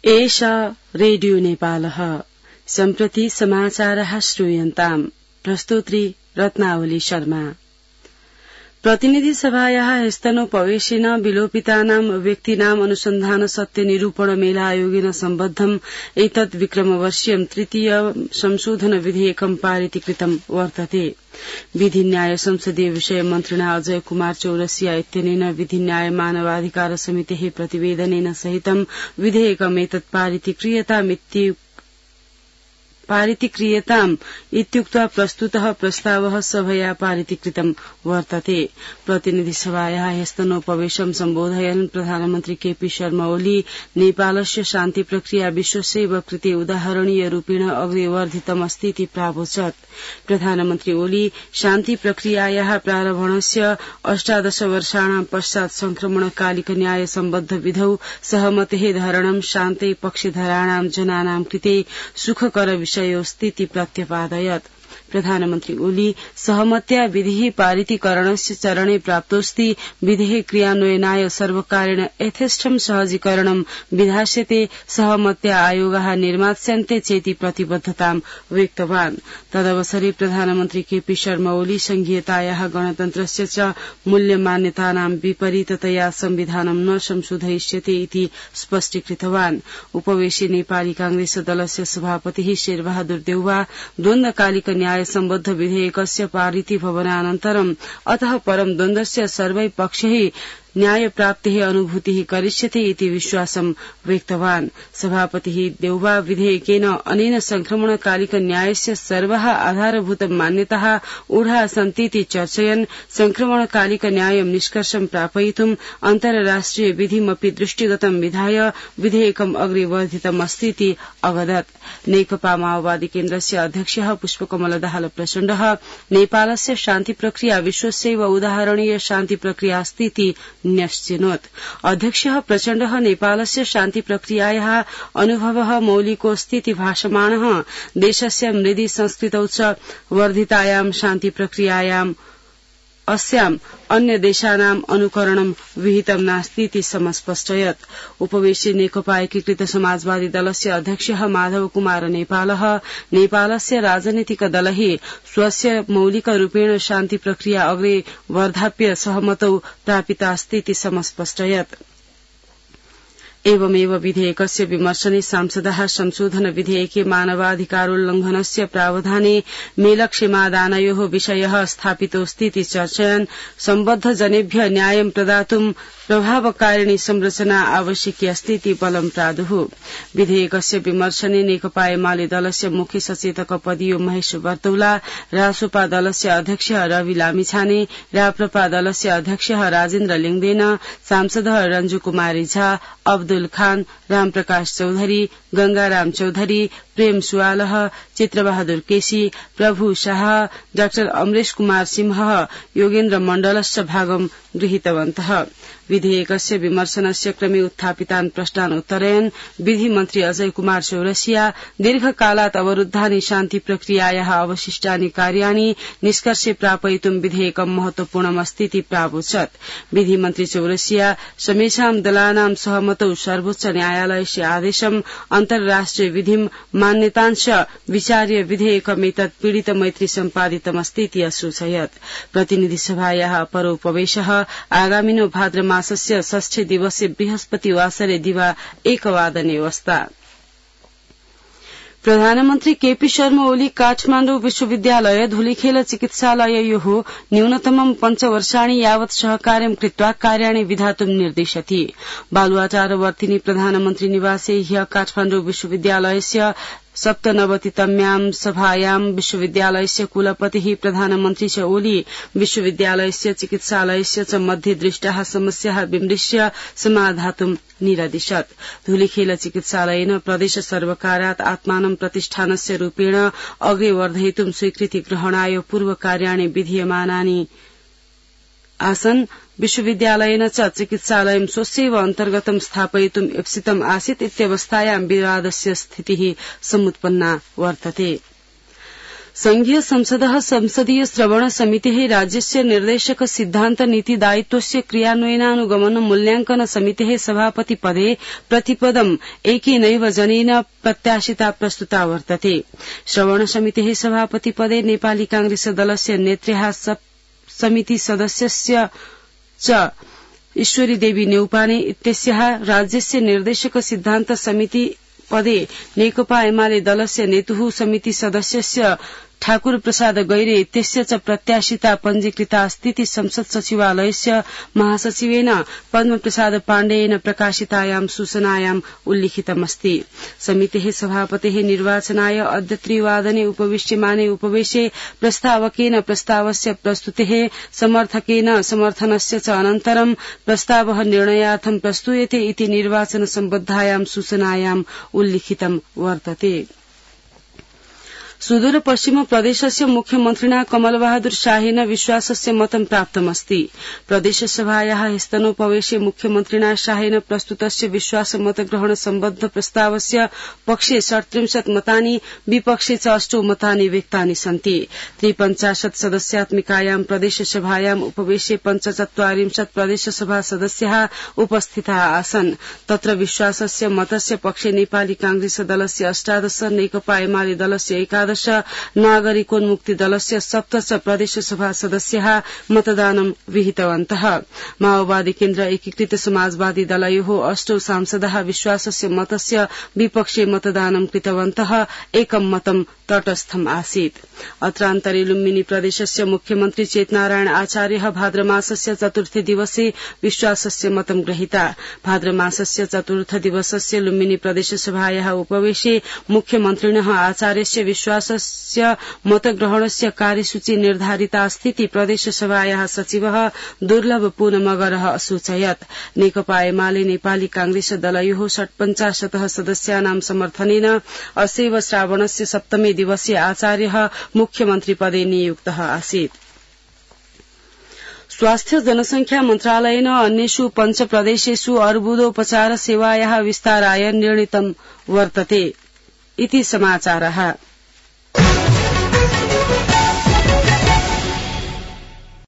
एषा रेडियो नेपालः सम्प्रति समाचारः श्रूयन्ताम् प्रस्तुत्री रत्नावली शर्मा। प्रतिनिधि सभायाः स्तनोपवेशेन विलोपितानां व्यक्तीनां अनुसन्धान सत्य निरूपण मेला आयोगेन सम्बद्धम् एतत् विक्रमवर्षीयं तृतीय संशोधन विधेयकं पारितीकृतं वर्तते। विधि न्याय संसदीय विषय मन्त्रिणा अजय कुमार चौरसिया इत्यनेन विधि न्याय मानवाधिकार समितेः प्रतिवेदनेन सहितं विधेयकमेतत् पारितीक्रियताम् इत्युक्त्वा प्रस्तुतः प्रस्तावः सभया पारितीकृतं वर्तते। प्रतिनिधि सभायाः स्तनोपवेशं सम्बोधयन् प्रधानमन्त्री केपी शर्मा ओली नेपालस्य शान्ति प्रक्रिया विश्वस्यैव कृते उदाहरणीय रूपेण अग्रे वर्धितमस्ति इति प्रावोचत्। प्रधानमन्त्री ओली शान्ति प्रक्रियायाः प्रारम्भणस्य 18 वर्षाणां पश्चात् संक्रमणकालिक न्याय सम्बद्ध विधौ सहमतेः धारणं शान्ते पक्षधराणां जनानां कृते सुखकर विषयोऽस्ति प्रत्यपादयत्। प्रधानमन्त्री ओली सहमत्या विधिः पारितीकरणस्य चरणे प्राप्तोऽस्ति विधेः क्रियान्वयनाय सर्वकारेण यथेष्टं सहजीकरणं विधास्यते सहमत्या आयोगाः निर्मास्यन्ते चेति प्रतिबद्धतां व्यक्तवान्। तदवसरे प्रधानमन्त्री केपी शर्मा ओली संघीयतायाः गणतन्त्रस्य च मूल्यमान्यतानां विपरीततया संविधानं न संशोधयिष्यते इति स्पष्टीकृतवान्। उपवेशे नेपाली कांग्रेस दलस्य सभापतिः शेरबहादुर देउवा द्वन्द्वकालिक न्याय सम्बद्ध विधेयकस्य पारिती भवनानन्तरम् अतः परं द्वन्द्वस्य सर्वै पक्षैः न्याय प्राप्तेः अनुभूतिः करिष्यते इति विश्वासं व्यक्तवान्। सभापतिः देउवा विधेयकेन अनेन संक्रमणकालिक न्यायस्य सर्वाः आधारभूत मान्यताः ऊढा सन्तीति चर्चयन् संक्रमणकालिक न्यायं निष्कर्षं प्रापयितुम् अन्तर्राष्ट्रिय विधिमपि दृष्टिगतं विधाय विधेयकम् अग्रे वर्धितमस्तीति अवदत्। नेकपा माओवादी केन्द्रस्य अध्यक्षः पुष्पकमल दाहाल प्रचण्डः नेपालस्य शान्ति प्रक्रिया विश्वस्यैव उदाहरणीय शान्ति प्रक्रियास्तीति न्यश्चिनोत्। अध्यक्षः प्रचण्डः नेपालस्य शान्ति प्रक्रियायाः अनुभवः मौलिकोऽस्तीति भाषमाणः देशस्य मृदि संस्कृतौ च वर्धितायां शान्ति प्रक्रियायाम् अस्याम् अन्य देशानाम् अनुकरणं विहितं नास्तीति समस्पष्टयत्। उपवेशे नेकपा एकीकृत समाजवादी दलस्य अध्यक्षः माधव कुमार नेपालस्य राजनीतिक दलैः स्वस्य मौलिक रूपेण शान्ति प्रक्रिया अग्रे वर्धाप्य सहमतौ प्रापितास्तीति समस्पष्टयत्। एवमेव विधेयकस्य विमर्शने सांसदाः संशोधन विधेयके मानवाधिकारोल्लंघनस्य प्रावधाने मेलक्षेमादानयोः विषयः स्थापितोऽस्तीति चर्चयन् सम्बद्ध जनेभ्य न्यायं प्रदातुं प्रभावकारिणी संरचना आवश्यकी अस्तीति बलं प्रादुः। विधेयकस्य विमर्शने नेकपा एमाले दलस्य मुख्य सचेतक पदियो महेश बर्तौला, रासोपा दलस्य अध्यक्ष रवि लामिछाने, राप्रपा दलस्य अध्यक्ष राजेन्द्र लिङदेन, सांसदः रञ्जु कुमारी झा, अब्दुल खान, रामप्रकाश चौधरी, गंगाराम चौधरी, प्रेम सुवालह, चित्रबहादुर केसी, प्रभु शाह, डाक्टर अमरेश कुमार सिंह, योगेन्द्र मण्डलश्च भागं गृहीतवन्तः। विधेयकस्य विमर्शनस्य क्रमे उत्थापितान् प्रश्नान् उत्तरयन् विधि मन्त्री अजय कुमार चौरसिया दीर्घकालात् अवरुद्धानि शान्ति प्रक्रियायाः अवशिष्टानि कार्याणि निष्कर्षे प्रापयितुं विधेयकं महत्वपूर्णमस्तीति प्रावोचत्। विधि मन्त्री चौरसिया समेषां दलानां सहमतौ सर्वोच्च न्यायालयस्य आदेशम् अन्तर्राष्ट्रिय विधिं मान्यतांश विचार्य विधेयकमेतत् पीडित मैत्री सम्पादितमस्तीति असूचयत्। प्रतिनिधि सभायाः अपरोपवेशः आगामिनो भाद्र मासस्य 6 दिवसे बृहस्पतिवासरे दिवा 1 वादने अवस्था। प्रधानमन्त्री केपी शर्मा ओली काठमाण्डु विश्वविद्यालय धुलिखेल चिकित्सालययोः न्यूनतमं 5 वर्षाणि यावत् सहकार्यं कृत्वा कार्याणि विधातुं निर्दिशति। बालुवाटारवर्तिनि प्रधानमन्त्री निवासे ह्यः काठमाण्डु विश्वविद्यालयस्य 97तम्यां सभायां विश्वविद्यालयस्य कुलपतिः प्रधानमन्त्री च ओली विश्वविद्यालयस्य चिकित्सालयस्य च मध्ये दृष्टाः समस्याः विमृश्य समाधातुं निरदिशत्। धुलिखेल चिकित्सालयेन प्रदेश सर्वकारात् आत्मानं प्रतिष्ठानस्य रूपेण अग्रे वर्धयितुं स्वीकृति ग्रहणाय पूर्व कार्याणि विधीयमानानि आसन्। विश्वविद्यालयेन च चिकित्सालयं स्वस्यैव अन्तर्गतं स्थापयितुं इप्सितम् आसीत् इत्यवस्थायां विवादस्य स्थितिः समुत्पन्ना वर्तते। संघीय संसदः संसदीय श्रवण समितिः राज्यस्य निर्देशक सिद्धान्त नीति दायित्वस्य क्रियान्वयनानुगमन मूल्याङ्कन समितेः सभापति पदे प्रतिपदम् एकेनैव जनेन प्रत्याशिता प्रस्तुता वर्तते। श्रवण समितेः सभापति पदे नेपाली कांग्रेस दलस्य नेत्र्याः समिति सदस्यस्य च ईश्वरी देवी नेउपाने इत्यस्याः राज्यस्य निर्देशक सिद्धान्त समिति पदे नेकपा एमाले दलस्य नेतुः समिति सदस्यस्य ठाकुर प्रसाद गैरे इत्यस्य च प्रत्याशिता पञ्जीकृता अस्तीति संसद सचिवालयस्य महासचिवेन पद्मप्रसाद पाण्डेयेन प्रकाशितायां सूचनायाम् उल्लिखितमस्ति। समितेः सभापतेः निर्वाचनाय अद्य 3 वादने उपविश्यमाने उपवेशे प्रस्तावकेन प्रस्तावस्य प्रस्तुतेः समर्थकेन समर्थनस्य च अनन्तरं प्रस्तावः निर्णयार्थं प्रस्तूयते इति निर्वाचन सम्बद्धायां सूचनायाम् उल्लिखितं वर्तते। सुदूर पश्चिम प्रदेशस्य मुख्यमन्त्रिणा कमलबहादुर शाहेन विश्वासस्य मतं प्राप्तमस्ति। प्रदेशसभायाः स्तनोपवेशे मुख्यमन्त्रिणा शाहेन प्रस्तुतस्य विश्वास मतग्रहण सम्बद्ध प्रस्तावस्य पक्षे 37 मतानि विपक्षे च 8 मतानि व्यक्तानि सन्ति। 53 सदस्यात्मिकायां प्रदेशसभायाम् उपवेशे 45 प्रदेशसभा सदस्याः उपस्थिताः आसन्। तत्र विश्वासस्य मतस्य पक्षे नेपाली कांग्रेस दलस्य 18, नेकपा एमाले दलस्य 11, नागरिकोन्मुक्ति दलस्य 17 प्रदेशसभा सदस्याः मतदानं विहितवन्तः। माओवादी केन्द्र एकीकृत समाजवादी दलयोः 8 सांसदाः विश्वासस्य मतस्य विपक्षे मतदानं कृतवन्तः। एकं मतं तटस्थम् आसीत्। अत्रान्तरे लुम्बिनी प्रदेशस्य मुख्यमन्त्री चेतनारायण आचार्यः भाद्रमासस्य चतुर्थे दिवसे विश्वासस्य मतं गृहीता। भाद्रमासस्य चतुर्थ दिवसस्य लुम्बिनी प्रदेशसभायाः उपवेशे मुख्यमन्त्रिणः आचार्यस्य विश्वासस्य मतग्रहणस्य कार्यसूची निर्धारिता अस्तीति प्रदेशसभायाः सचिवः दुर्लभ पूनमगरः असूचयत्। नेकपा एमाले नेपाली कांग्रेस दलयोः 50 सदस्यानां समर्थनेन अस्यैव श्रावणस्य सप्तमे दिवसे आचार्यः मुख्यमन्त्री पदे नियुक्तः आसीत्। स्वास्थ्य जनसंख्या मन्त्रालयेन अन्येषु 5 प्रदेशेषु अर्बुदोपचार सेवायाः विस्ताराय निर्णीतं वर्तते इति समाचारः।